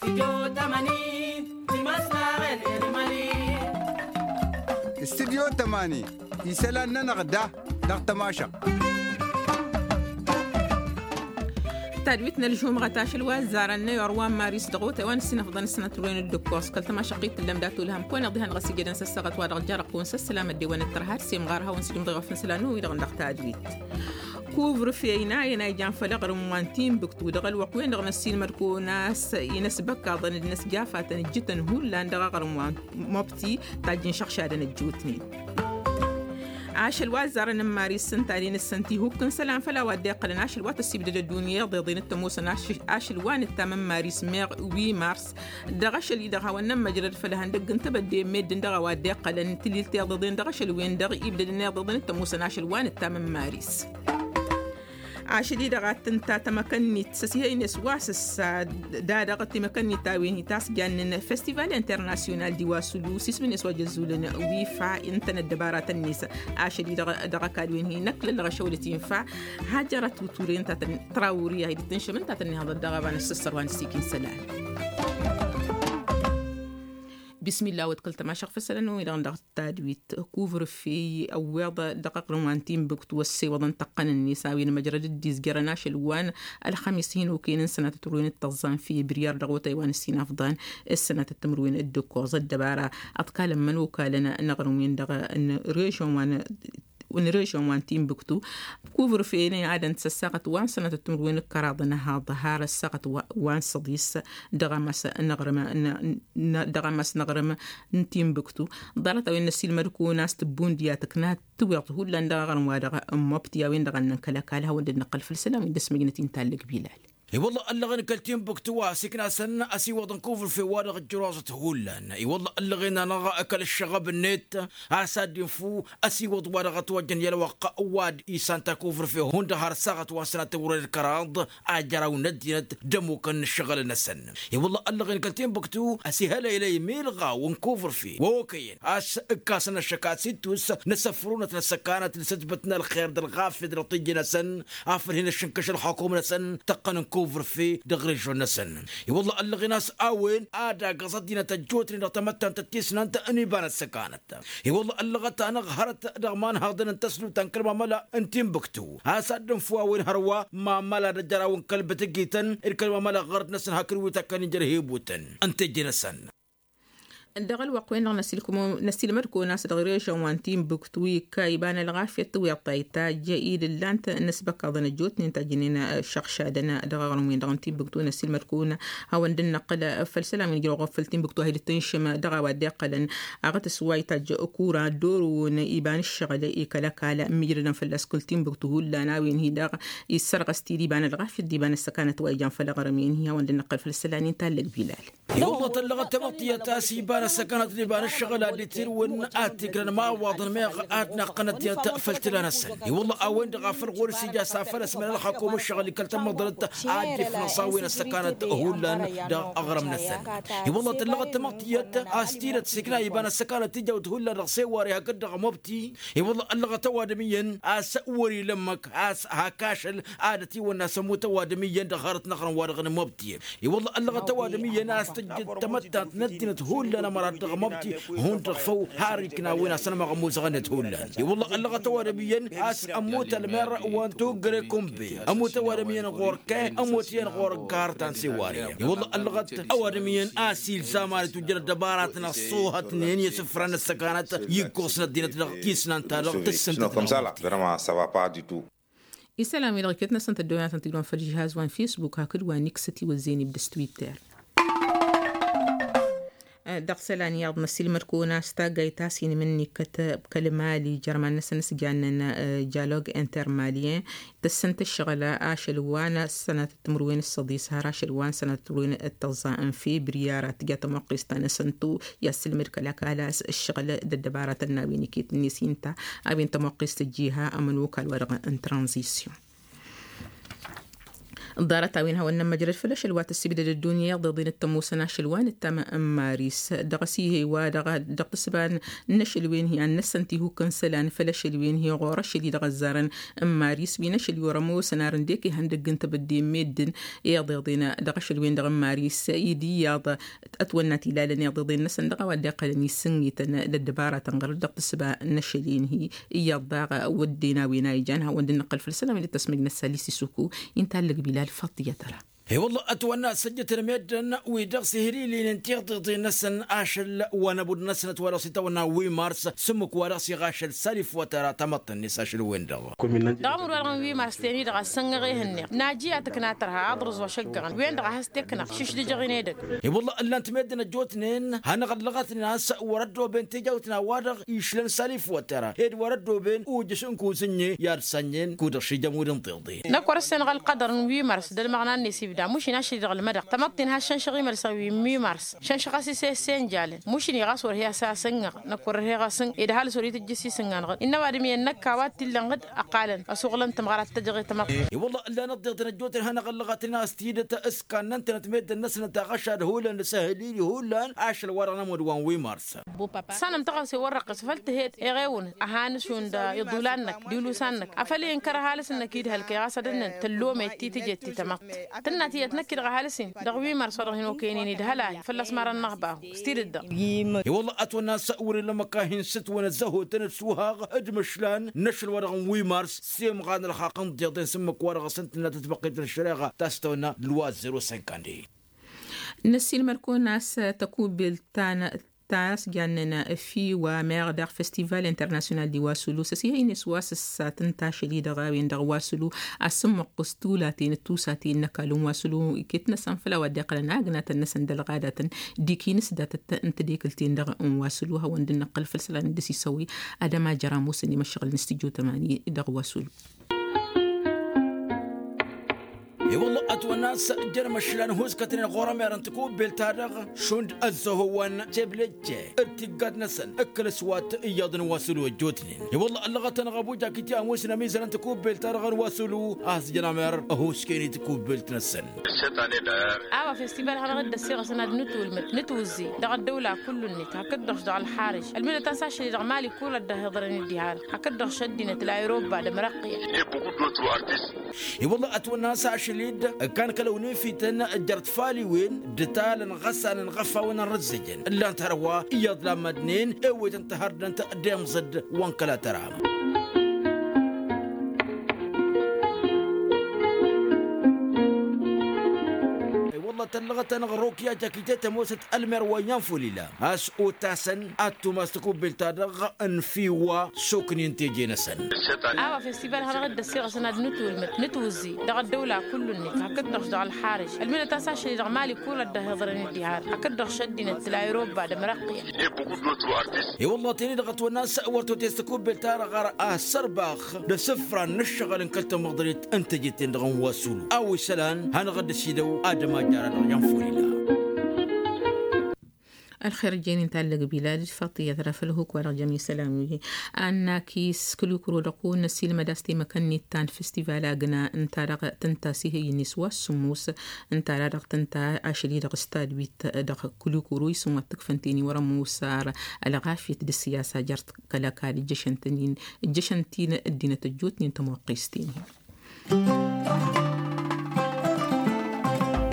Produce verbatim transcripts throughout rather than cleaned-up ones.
Studyo tămani isălan-nănăɣ da dăɣ-tămašăɣt. Tadwit n-ălžumɣăt ašăl wa ăzzarăn n-ayor wa n-maris dăɣ-otay wa n-ǝssinăfḍăn ǝssănăt ǝrwen d-ǝkkoẓ kăl-tămašăɣt-i t-tǝllăm dat-olhăm kăwăn-iḍihăn ɣas ijădăn s-ăssaɣăt wa dăɣ-jarăqqun s-ăssălam ăddewăn d-tărha d-semɣar hawăn-sǝjǝmḍăy ɣef n-isălan n-uwi-dăɣ n-dăɣ tadwit. Kuvr feyna ena ijan făll-aɣrǝm wa n-timbuktu dăɣ-ălwăqq-wen-dăɣ n-ăssiilmăd-kăwăn a-s inăsbăkkaḍăn d-inăsjafatăn ǝjjǝtăn hullan dăɣ-aɣrǝm wa n-mobti tajjǝn šăɣšadăn ăjjootnen. Ašăl wa ăzzarăn n-maris s-ǝnta a-wen ǝssăn tihukk n-isălan făll-a-wa dd-iqqălăn ašăl wa tăssibdăd ăddunya iḍeḍen d-tămoosăn ašăl wa nǝttam n-maris meɣ wi mars. Dăɣ-ašăl-i-dăɣ hawăn-nămmăjrăd făll-ihăndăgg n-tebădde n-meddǝn dăɣ-a-wa dd-iqqălăn tǝlilt iḍeḍen dăɣ-ašăl-wen-dăɣ ibdădăn iḍeḍen d-tămoosăn ašăl wa nǝttam n-maris. Ašăl-i-dăɣ ad-tǝnta tamăkănnit s-ăsihăynes wa s-ăssa da dăɣ-timăkănnit a-wen hi-tasjannen festival internasyonal d-iwasǝlu s-ismǝn-net wa jăzzulăn wifa ǝntănăt dăbaratăn-net. Ašăl-i-dăɣ dăɣ-ăkall-wen hi-năkk lăllăɣ ašăwălăt infa hajjărăt uture ǝnta tănn trawuri a hi-dd-tǝnšăm ǝnta tănnihăḍăt dăɣ-ăbanăs s-ăssărwa n-ăssiik n-isălan. Bismillah wăd kăl-tămašăɣ făsălăn wi-dăɣ n-dăɣ-tadwit kuvr-fey ăwweḍ dăɣ-aɣrǝm wa n-timbuktu ăssewăḍăn tăqqăn-net a-wen măjrăd dd-izjărăn ašăl wa n-ălxămis hin-okăyăn n-sănatăt ăruwen d-tăẓẓa n-fibriyar dăɣ-otay wa n-ăssinafḍan s-sănatăt timǝrwen d-ǝkkoẓ ăddăbara ăḍkalăn imănokalăn n-aɣrǝm-wen-dăɣ n-režon wa n-režon wa n-timbuktu. Kuvr-fey n-e-adăn-t s-ăssaɣăt wa n-sănatăt timǝrwen d-kăraḍăn ăhaḍ har ăssaɣăt wa n-săḍis dăɣ-amas n-aɣrǝm n-dăɣ-amas n-aɣrǝm n-timbuktu. Ḍarăt-a-wen n-ăssiilmăd-kăwăn a-s tǝbbundǝya tǝkna tiweḍt hullan dăɣ-aɣrǝm wa dăɣ-mobti a-wen-dăɣ a ǝnnăn kăl-ăkall hawăn-dd-năqqăl făll-isălan wi n-dăr-s măjnăt-i n-tallăg bilal. I-wălla ăllăɣen kăl-timbuktu wa s-iknasăn ăsiwăḍăn kuvr-fe wa dăɣ-ǝjjăroẓăt hullan. I-wălla ăllăɣen-anăɣ kăl-ǝššăɣăb-net a-s ad-dd-infǝw ăsiwăḍ wa dăɣ-ătwăjjăn i-ălwăqq wa d-isan takuvr-fe hundăɣ har ăssaɣăt wa n-sănatăt wăr-dd kăraḍ a jăraw n-ăddinăt d-ămmukăn n-ǝššăɣǝl-năsăn. I-wălla ăllăɣen kăl-timbuktu ăsihălăylăy milɣaw n-kuvr-fe wa okăyăn a-s ǝkkasăn ăššăk ad-sittus n-asăfrunăt n-ăssăkanăt d-săjbăt n-ălxer d-ălɣafyăt dăɣ-tijje-năsăn afăl hin-ǝššǝnkăš ălxukum-năsăn tăqqăn n-kuvr-fe dăɣ-režon-năsăn. I-wălla ăllăɣen a-s a-wen ad-agǝẓ ăddinăt ăjjootnen dăɣ-tamăttant d-tisnant n-iba n-ăssăkanăt. I-wălla ăllăɣăt-anăɣ hărăt dăɣ-imanhaḍăn n-tăsluta n-kăl-mamăla n-timbuktu a-s ad-dd-infǝw a-wen hărwa mamăla d-ajăraw n-kăl-bǝtǝgităn d-kăl-mamăla ɣărăt-năsăn hakd wi takkăn injăr hibutăn n-tijje-năsăn. Dăɣ-ălwăqq-wen-dăɣ năsilmăd-kăwăn a-s dăɣ-režăn wa n-timbuktu ikka iba n-ălɣafyăt tiweḍt ta itajj-i d-ǝllan-t n-asbăkkaḍăn ăjjootnen tajjǝnen šăɣšadăn dăɣ-aɣrǝm-wen-dăɣ n-timbuktu năsilmăd-kăwăn a-wen dd-năqqǝl făll-isălan wi n-ǝjrăw ɣur-făll timbuktu a hi-dd-tǝnšǝm dăɣ-a-wa dd-iqqălăn aɣătǝs wa itajj kura dd-orăwăn iba n-ǝššăɣǝl i-kăl-ăkall ǝmmǝjrădăn fălla-s kăl-timbuktu hullan a-wen hi-dăɣ issărɣăs-t-dd iba n-ălɣafyăt d-iba n-ăssăkanăt wa ijan făll-aɣrǝm-en-hi a-wen dd-năqqǝl făll-isălan-in tallăg bilal. I-wălla tăllăɣăt tamăḍtiyăt a-s iba n-ăssăkanăt d-iba n-ǝššăɣǝl a dd-itirǝwăn ad-t-ijrăn imawaḍăn meɣ ad-naqqăn ăddinăt făll-tǝla-năsăn. I-wălla a-wen-dăɣ a făl ɣur-s ija s-afăl ăsmălăl xakum ǝššăɣǝl i-kăl-tamăḍrăt ad-dd-ifnăẓ a-wen ăssăkanăt hullan dăɣ-aɣrǝm-năsăn. I-wălla tăllăɣăt tamăḍtiyăt a-s tidăt s-ikna iba n-ăssăkanăt ija wăt hullan dăɣ-seware hakd dăɣ-mobti. I-wălla ăllăɣăt ăwadǝm iyyăn a-s wăr-ila ǝmmǝk a-s hak ašăl ad-ătiwănna a-s ămmut ăwadǝm iyyăn dăɣ-hărăt n-aɣrǝm-wa-dăɣ n-mobti. I-wălla ăllăɣăt ăwadǝm iyyăn a-s tǝjjǝd tamăttant n-ăddinăt hullan ămărat dăɣ-mobti hundăɣ făw har ikna a-wen a-s ănmăɣ ămuzăɣ-net hullan. I-wălla ăllăɣăt ăwadǝm iyyăn a-s ămmut ălmer wa n-tuggăre kunbe ămmut ăwadǝm iyyăn ɣur-kăy ămmut iyyăn ɣur-ǝggar ta n-seware. I-wălla ăllăɣăt ăwadǝm iyyăn a-s ilzam ad-itwǝjjăn ăddăbaratăn ăṣṣoohătnen i-asǝfran n-ăssăkanăt i-ǝkkoẓ n-ăddinăt dăɣ-tisnant-ta-dăɣ tǝssǝntăt. Isălan-wi-dăɣ iket-năsăn tăddooyăn ad-tăn-tǝjrǝwăn făll-žihaz wa n-fisbuk hakd wa n-iksăt iwăzzeyăn ibdăs twitter. Dăɣ-isălan iyyăḍ năsilmăd-kăwăn a-s taggayt a-s hin-imǝnnikkăt kăl-mali jărman-năsăn s-jannen jalog intermalien tǝssǝnt ǝššăɣǝl ašăl wa n-sănatăt timǝrwen s-săḍis har ašăl wa n-sănatăt timǝrwen d-tăẓẓa n-febriyar ad-tǝja tămoqqest ta n-asăntu i-ad-sǝlmǝd kăl-ăkall a-s ǝššăɣǝl d-ăddăbaratăn n-a-wen iket-net inta a-wen tămoqqest ăjjiha ămănokal wa dăɣ-n tranzisyon. Ḍarăt-a-wen hawăn-nămmăjrăd făll-ašăl wa tăssibdăd ăddunya iḍeḍen d-tămoosăn ašăl wa n-ǝttam n-maris dăɣ-s ih'-e wa dăɣ-tăsba n-ašăl wen-hi ad-năssăn tihukk n-isălan făll-ašăl wen-hi ɣur-ašăl-i dăɣ-ăzzarăn n-maris wi n-ašăl i-wăr-ămoosăn ar ǝndek ihăndăgg n-tebădde n-meddǝn iḍeḍen dăɣ-ašăl wen-dăɣ n-maris. Ed iyyăḍ ătwănna tilalăn iḍeḍen-năsăn dăɣ-a-wa dd-iqqălăn isǝnnităn d-ăddăbaratăn ɣur-dd dăɣ-tǝsba n-ašăl-in-hi. Iyyăḍ daɣ wădden a-wen a ijan hawăn-dd-nǝqqǝl făll-isălan wi n-ăttăsmăjnăt s-alisi s-uku. Inta ăllăg bilal făṭṭiyăt ăra. I-wălla ătwănna săjjătăn meddǝn wi dăɣ-s ihrǝlǝynen tiḍeḍen-năsăn ašăl wa n-ăbud-năsăn ătwănna s-itawănna wi mars s-ǝmmǝk wa dăɣ-s iɣašăl salif wa tăra tamăḍt-net ašăl-wen-dăɣ. Dăɣ-amud wa dăɣ-n wi mars ten-i-dăɣ a s-sănnăɣ ehăn-neɣ naji a tǝkna tărha aḍrǝẓ wa šăggăɣăn wen-dăɣ a has-t-eknăɣ šišdǝjăɣ-in edăgg. I-wălla ǝllan-t meddǝn ăjjootnen hanăɣ-ăllăɣătnen a-s wăr-ăddooben tijawt n-a-wa-dăɣ išlăn salif wa tăra ed wăr-ăddooben ujǝš n-kuzǝnnye i-ad-sănnen kud-dăɣ šijăm wi d-ǝnḍeḍe. Năkk wăr-ăssenăɣ ălqădăr n-wi mars d-ălmăɣna-net ibda mušin ašăl-i-dăɣ ălmădăɣ tamăḍt-in has-šănšăɣ imălsăn wi n-wi mars šănšăɣ-as isessăy n-jalăn mušin iɣas wăr he-asăsănnăɣ. Năkk wăr-ărheɣ asǝn ed ăhalǝs wăr-itǝjjǝs isǝnnanăɣ innă ăwadǝm iyyăn năkk a-wa t-illăn ɣǝd ăqqalăn ăsuɣlăn tămɣăra t-tăjăɣ i-tamăḍt. I-wălla ǝllan ăḍḍeḍăn ăjjootnen hanăɣ-ăllăɣătnen a-s tidǝt s-kannăn-tănăt meddǝn-năsnăt aɣăšad hullan d-asăhǝlil hullan ašăl-wa-dăɣ n-ămudd wa n-wi mars. Sanăm tăɣăwse wăr-răqqǝs făl tǝhed eɣewăn ăhanǝšund iḍulan-năk d-ilusan-năk afăl i-ǝnkăr ăhalǝs-năk idhăl kăy-ɣas ad-ǝnnăn tăllomăyăt ti-tǝjet ti-tamăḍt. Tǝnna tiyyăt năkk-i-dăɣ ăhalǝs-in dăɣ-wi mars wa dăɣ-hin-okăynen idhăl-ahi fălla-s marăn n-ăɣbahu. S-tidǝt-dăɣ. I-wălla ătwănna a-s wăr-ila ămăkka hin-sǝtwănăt zăhotăn d-suhaɣ d-imǝšlan n-ašăl wa dăɣ-n wi mars s-imɣan ălxaqq n-tiḍeḍen s-ǝmmǝk wa dăɣ-s ǝntǝnna tătbăqqet n-ăššăreɣa ta s-tăwănna lwa zero cinq ande. Năssiilmăd-kăwăn a-s tăkubbelt ta n-ta s-jannen fiwa meɣ daɣ festival international di wasulu s-ăsihăynen s-wa s-ăssat n-tašăl-i-dăɣ a-wen-dăɣ wasulu. A-s ǝmmăqqǝs tulaten d-tusaten n-ăkall n-wasulu iket-năsăn făll-a-wa dd-iqqălăn agnatăn-năsăn d-ălɣadatăn d-ikinǝs datăt n-tedekǝlt-en-dăɣ n-wasulu hawăn-dd-nǝqqǝl făll-isălan d-ăsisăwăy. Ad-ămajăr ămoosăn imăššăɣǝl n-studyo tămani dăɣ-wasulu. I-wălla ătwănna a-s jăn imăšlan ăhuskătnen ɣur-ămer n-tikubbelt-ta-dăɣ šund ăzzăhowăn teblejje d-tiggat-năsăn ǝkkăl s-wa t-iyyăḍ n-wasulu ăjjootnen. I-wălla ăllăɣăt-anăɣ ăbuja kiti ămoosăn ămizăl n-tikubbelt-ta-dăɣ n-wasulu a-s jăn ămer ăhuskăyăn i-tikubbelt-năsăn. A-wa festival hanăɣ-dd-ăssiɣăsăn ad-nǝtwǝlmǝd nǝtwǝzzi dăɣ-ăddăwla kullu-net hakd-dăɣ-š dăɣ-ălxarǝj ălmǝdăt-as ašăl-i-dăɣ mali kul ăddăh iḍărăn d-iha-dăɣ hakd-dăɣ-š ăddinăt la europa d-ămrăqqǝya. I-wălla ătwănna a-s ašăl-i-dd ǝkkan kăl-ăwnefităn jer-tfaliwen d-talăn ɣăsanăn ɣăfawăn n-rǝzzǝjăn ǝllan-t hărwa iyyăḍ lamădnen ewetăn tăhărdănt d-emẓǝd wa n-kăla tăra. I-wălla tăllăɣăt-anăɣ rokya jakite tămoosăt ălmer wa n-iyan folila a-s otasăn ad-tumas tikubbelt-ta-dăɣ n-fiwa soknen teje-năsăn. A-wa festival hanăɣ-dd-ăssiɣăsăn ad-nǝtwǝlmǝd nǝtwǝzzi dăɣ-ăddăwla kullu-net hakd-dăɣ-š dăɣ-ălxarǝj ălmǝdăt-as ašăl-i-dăɣ mali kul ăddăh iḍărăn d-iha-dăɣ hakd-dăɣ-š ăddinăt la europa d-ămrăqqǝya. I-wălla teni-dăɣ ătwănna a-s wăr totest tikubbelt-ta-dăɣ ɣar asărbax d-asǝfran n-ǝššăɣǝl n-kăl-tamăḍrit n-teje-ten-dăɣ n-wasulu a-wa isălan hanăɣ-dd-ăsidăw ad-ămajjara dăɣ-iyan folila. Ălxer ǝjjăynen tallăg bilal d-faṭiyăt ra făll-huk wa dăɣ-jămi sălam-wi. Annakis kǝlukuro dăɣ-kăwăn-năsilmăd a-s temăkăn-net ta n-festival agna ǝnta-dăɣ tǝnta s-ihăyyǝn-i s-wa s-sǝmmus ǝnta-dăɣ tǝnta ašăl-i-dăɣ stad wit dăɣ-kǝlukuro isǝm wa t-ǝkfăn teni wăr-ămoos ar ălɣafyăt d-ăssiyasa jer-kăl-ăkall ǝjjăšăn-tăn-in ǝjjăšăn-t-in ăddinăt ăjjootnen tămoqqes-ten-hi.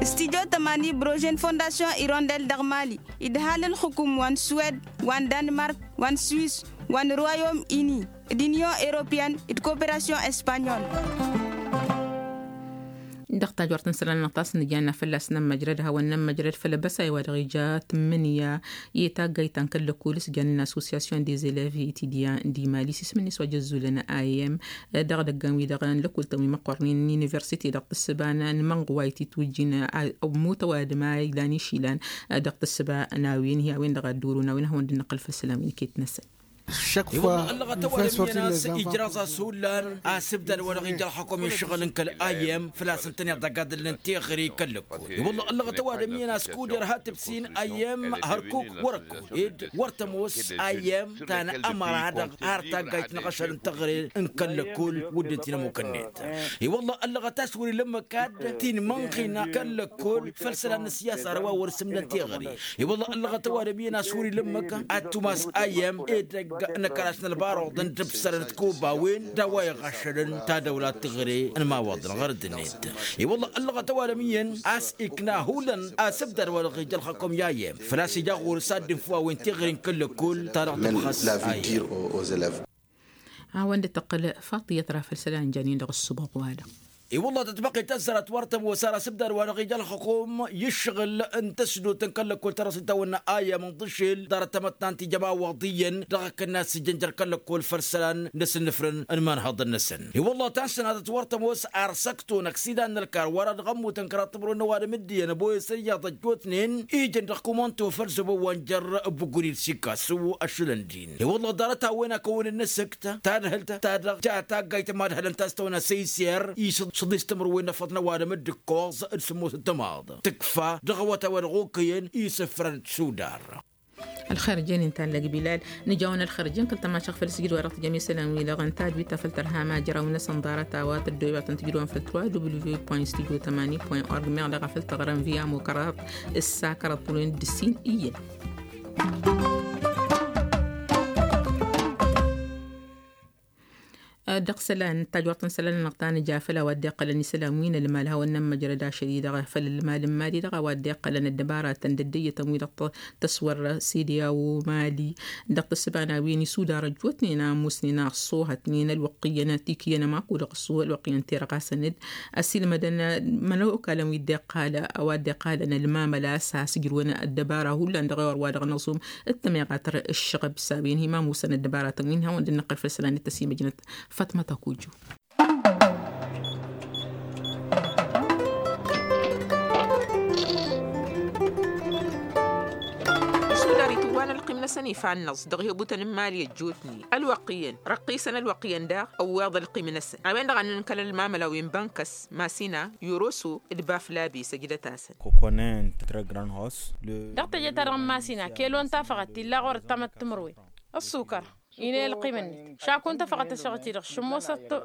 Studyo tămani brožen fondasyon irondel dăɣ-mali idhal ǝlxǝkum wa n-suwed wa n-danmark wa n-suwis wa n-royom ini d-inyon europeyăn d-koperasyon espanyol. Dăɣ-tajort n-isălan n-aɣtas n-ǝjanna fălla-s n-ămmăjrăd hawăn-nămmăjrăd făll-abăsay wa dăɣ-ija tǝmmǝnǝya i-taggayt ta n-kăl-lăkul s-jannen assosyasyon des eleves etidyan d-imali s-isǝm-net wa jăzzulăn a m dăɣ-idăggan-wi-dăɣ n-lăkul-tăn wi măqqornen n-universite dăɣ-tǝssǝba n-mănɣ wa ititwǝjjin ămmut ăwadǝm a ilan išilan dăɣ-tǝssǝba n-a-wen hi-a-wen-dăɣ a dd-orun a-wen hawăn-dd-năqqǝl făll-isălan wi n-iket-năsăn. Ălɣăt ăwadǝm iyyăn a-s ijraẓ a-s hullan asǝbdad wa dăɣ-ija ălxăkum i-ǝššăɣǝl n-kăl-ayyăm făl-a-s ǝntăneḍ dăgg-ad-ǝllăn teɣăre i-kăl-lăkkol. I-wălla ălɣăt ăwadǝm iyyăn a-s kuder hat-ǝbsin ayyăm hărkuk wăr-ăkko ed wăr tămoos ayyăm ta n-ămăra-dăɣ har taggayt n-aɣăšăl n-teɣăre n-kăl-lăkkol. Wădden ti n-ămmuk-net i-wălla ălɣăt a-s wăr-ila ǝmmǝk ad-t-in-mănɣina kăl-lăkkol făll-isălan n-ăssiyasa ar wa wăr-sǝmnăn teɣăre. I-wălla ălɣăt ăwadǝm iyyăn a-s wăr-ila ǝmmǝk ad-tumas ayyăm edăgg n-ăkall a-s n-ălbaruḍ n-dăbsărăn d-kobawen d-a-wa iɣăššălăn tadăwla teɣăre n-imawaḍăn ɣur-dd-net. I-wălla ălɣăt ăwadǝm iyyăn a-s ikna hullan asǝbdad wa dăɣ-ija ălxăkum i-ayyăm făl-a-s ija ɣur-s ad-dd-infǝw a-wen teɣăre n-kăl-lăkkol ta dăɣ-tǝbxăs ayyăm. A-wen dd-tăqqǝl faṭiyăt ra făll-isălan jan-in dăɣ-ǝssǝboɣ-wa-dăɣ. I-wălla tătbăqqet tăzzărăt wăr tămoos ar asǝbdad wa dăɣ-ija ălxăkum i-ǝššăɣǝl n-tăsdot n-kăl-lăkkol ta dăɣ-s itawănna ayyăm n-tǝššel ḍarăt tamăttant ija imawaḍ iyyăn dăɣ-akǝnna s-ijăn jer-kăl-lăkkol făll-isălan n-asǝnnǝfrăn n-imanhăḍăn-năsăn. I-wălla ta n-sănatăt wăr tămoos ar săkto n-aksidan n-ălkar wăr-ad-ɣămmutăn kăraḍ timǝrwen n-ăwadǝm d-iyyăn ăboyăs ăyyaḍ ăjjootnen ijăn dăɣ-kumanto făll-zăbo wa n-jer-buguri d-sikasu ăššǝlăn-dd-in. I-wălla ḍarăt a-wen a kăwăn-dd-năsǝkt tadhǝlt ta dăɣ-ja taggayt ămadhălăn ta s-tăwănna săyser i-săḍis timǝrwen n-efăḍ n-ăwadǝm d-ǝkkoẓ d-sǝmmos d-tămaḍ tǝkfa dăɣ-awătay wa dăɣ-okăyăn isǝfrăn d-sudar. Ălxer jen inta n-lăgbilal nǝjawăn ălxer jen kăl-tămašăɣ făll-sǝjdăd wa dăɣ-tǝjăm isălan-wi-dăɣ ǝnta d-wi ta făll-tărha ma jăraw-năsăn ḍarăt a-wa tăddoyăt n-tǝjdăwăn făll-trois w point studio tămani point org meɣ dăɣ-a făll-tăɣrăm via mukăraḍ s-sakărăt tǝlwen d-ǝssin iyyăn. Dăɣ-isălan tajwărt n-isălan-nănăɣ ta nǝja făll-a-wa dd-iqqălăn isălan wi n-ălmal hawăn-nămmăjrăd ašăl-i-dăɣ făll-ălmal n-mali-dăɣ a-wa dd-iqqălăn ăddăbaratăn d-ăddăyyătăn-wi-dăɣ tăswărră sediyawo mali dăɣ-tǝssǝba n-a-wen isudar ăjjootnen a ămoosnen a ăṣṣoohătnen ălwăqq iyyăn tikǝyyăn ămaku dăɣ-ăṣṣooh ălwăqq iyyăn terăɣasăn-dd ăsiilmădăn imănokalăn wi dd-iqqal a-wa dd-iqqalăn ălmamăla s-has-ǝjrǝwăn ăddăbara hullan dăɣ-ewăr wa dăɣ-năẓum d-tămiɣatăr ǝššăɣăb s-a-wen hi-ma ămoosăn ăddăbaratăn wi n-hawăn dd-năqqăl făll-isălan d-tăsimăjnăt. Fatmăt ăkuju. Isudar itǝwwa n-ălqim-năsăn ifa ănnăẓ dăɣ-ihebutăn n-imali ăjjootnen ălwăqq iyyăn răqqisăn ălwăqq iyyăn daɣ ăwweḍ ălqim-năsăn a-wen-dăɣ a nǝnkăl ălmamăla wi n-bănkăs masina yoroso d-baflabe săjdăt-asăn. Dăɣ-teje-ta-dăɣ n-masina kelo n-tafăɣăt illa ɣur-ăttamăt timǝrwen ăssukăr inel ălqim-net šaku n-tafăɣăt ăššăɣǝl-ti-dăɣ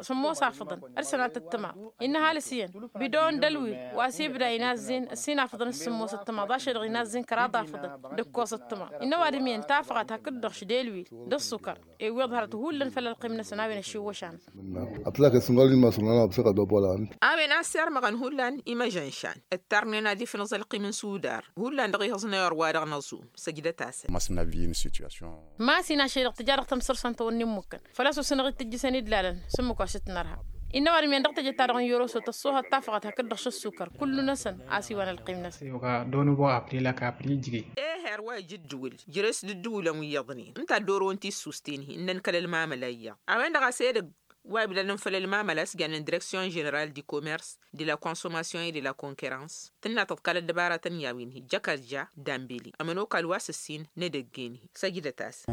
sǝmmos afǝḍăn d-sănatăt timaḍ innă ăhalǝs iyyăn bidoon d-ălwil wa s-ibda inazzen ǝssin afǝḍăn d-sǝmmos ăttămaḍ ašăl-dăɣ inazzen kăraḍ afǝḍăn d-ǝkkoẓ ăttămaḍ innă ăwadǝm iyyăn tafăɣăt hakd-dăɣ šăd elwil d-ăssukăr iwweḍ hărăt hullan făll-ălqim-năsăn a-wen ăšiwwăšan. A-wen a-s irmăɣăn hullan imăžănšan ǝttarnen ad-ifnǝẓ ălqim n-sudar hullan dăɣ-ihǝẓ n-ewăr wa dăɣ-năẓum săjdăt-asăn. Masin ašăl-i-dăɣ tǝja dăɣ-tamsărsant tawănna immukkăn făl-a-s osănăɣ-dd tǝjjǝsăn-dd lalăn s-ǝmmǝk wa s-t-nărha. Innă ăwadǝm iyyăn dăɣ-teje-ta-dăɣ n-yoroso tăṣṣoohăt tafăɣăt hakd-dăɣ šăssukăr kullu-năsăn a-s iwăn ălqim-năsăn. Ehăr wa ija ǝddǝwǝl jere-s d-ǝddǝwǝlăn wi iyyăḍnen ǝnta ăddoorăwăn tissusten-hi ǝnnăn kăl-ălmamăla iyyăḍ a-wen-dăɣ a-s edăgg wa ibdadăn făll-ălmamăla a-s jannen direksyon ženeral di commerce de la consommation et de la concurrence tǝnna tăḍkal ăddăbaratăn i-a-wen hi-jăkărja dambeli ămănokal wa s-ǝssin n-edăgg-en-hi. Săjdăt-asăn.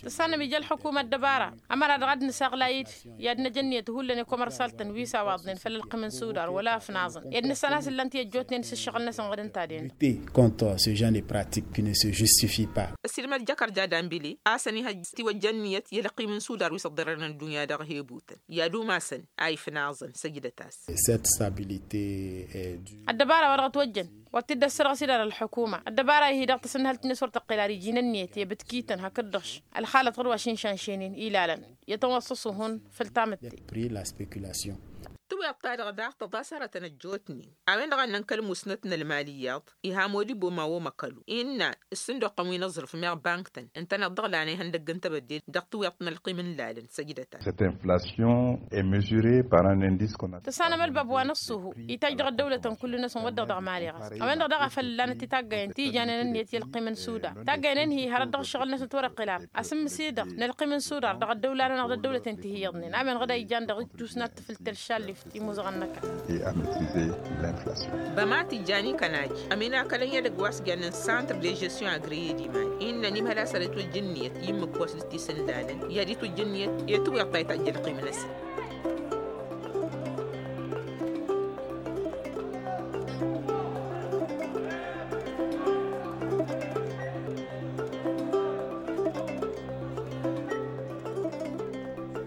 Tǝssanăm ija ălḥukuma ăddăbara ămăra-dăɣ ad-nǝsaɣlay-dd i-ad-năj ǝnniyăt hullan i-komărsaltăn wi s-awaḍnen făll-ălqim n-sudar wăla ăfnaẓăn i-ad-nǝssan a-s ǝllan-t i-ăjjootnen s-ǝššăɣǝl-năsăn ɣǝd ǝnta-den. Ăssiilmăd jăkărja dambili a-s ănihăjj tiwăjja ǝnniyăt i-ălqim n-sudar wi s-ăḍḍărărăn ăddunya dăɣ-hebutăn i-ad-umasăn a ifnaẓăn săjdăt-as. Ăddăbara wa dăɣ-ătwăjjăn wa t-dd-ăssărɣăs idar ălḥukuma ăddăbara-i-hi-dăɣ tăsǝnhălt-net wăr tăqqel ar iji n-ǝnniyăt i-abǝtkităn hakd-dăɣ š-ălxalăt ɣur-wa šinšanšenen ilalăn i-tănwăṣṣăṣ uhun făll-tamǝtte. Tǝwweḍ-ta-dăɣ daɣ tăḍas hărătăn ăjjootnen a-wen-dăɣ a ǝnnăn kăl-musnăt n-ălmal iyyăḍ iha modibo ma omăkălu innă ǝssǝnduqqăn wi n-aẓrǝf meɣ bank-tăn ǝntăneḍ-dăɣ lan ihăndăgg n-tebădde dăɣ-tǝwweḍt n-ălqim n-lalăn săjdăt-as. Tăssanăm ălbab wa n-ăṣṣuhu itaj dăɣ-ăddăwlătăn kullu-năsăn wădden dăɣ-mali ɣas a-wen-dăɣ daɣ a făl ǝllanăt i-taggayen ti ijanen ǝnniyăt i-ălqim n-sudar taggayen-en-hi hărăt dăɣ-ǝššăɣǝl-năsăn ătwărăqqel ar asǝmmǝs-i-dăɣ n-ălqim n-sudar dăɣ-ăddăwla-nănăɣ d-ăddăwlăten ti hi-iyyăḍnen a-wen ɣǝd a ijan dăɣ-ijjus n-ad-tǝfǝl tălšalli. Imuzăɣăn n-ăkall. Et à maîtriser l'inflation. Băma tǝjjan i-kănaj ăminakălăn i-edăgg wa s-jannen centre de gestion agréé d-iman innă n-imhăl a-s ăretwăjja ǝnniyăt i-ǝmmǝk wa s-dd-tisǝndalăn i-ad-itwǝjja ǝnniyăt i-tiwǝyăḍt ta itajj ălqim-năsăn.